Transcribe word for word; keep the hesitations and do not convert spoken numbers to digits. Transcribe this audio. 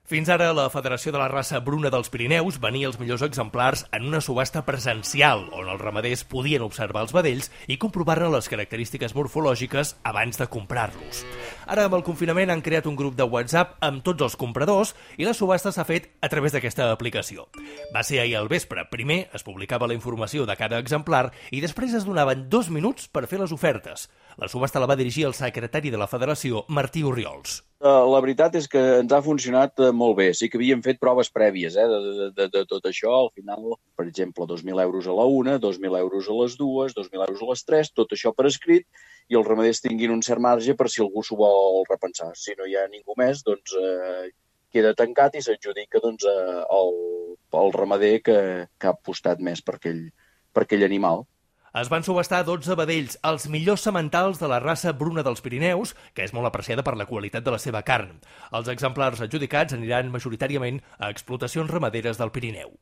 Fins ara, la Federació de la Raça Bruna dels Pirineus venia els millors exemplars en una subhasta presencial, on els ramaders podien observar els vedells i comprovar-ne les característiques morfològiques abans de comprar-los. Ara, amb el confinament, han creat un grup de WhatsApp amb tots els compradors i la subhasta s'ha fet a través d'aquesta aplicació. Va ser ahir al vespre. Primer es publicava la informació de cada exemplar i després es donaven dos minuts per fer les ofertes. La subhasta la va dirigir el secretari de la Federació, Martí Orriols. La veritat és que ens ha funcionat molt bé. Sí que havíem fet proves prèvies eh, de, de, de, de tot això. Al final, per exemple, dos mil euros a la una, dos mil euros a les dues, dos mil euros a les tres, tot això per escrit, i els ramaders tinguin un cert marge per si algú s'ho vol repensar. Si no hi ha ningú més, doncs eh, queda tancat i s'adjudica doncs, eh, el, el ramader que, que ha apostat més per aquell, per aquell animal. Es van subhastar dotze vedells, els millors sementals de la raça bruna dels Pirineus, que és molt apreciada per la qualitat de la seva carn. Els exemplars adjudicats aniran majoritàriament a explotacions ramaderes del Pirineu.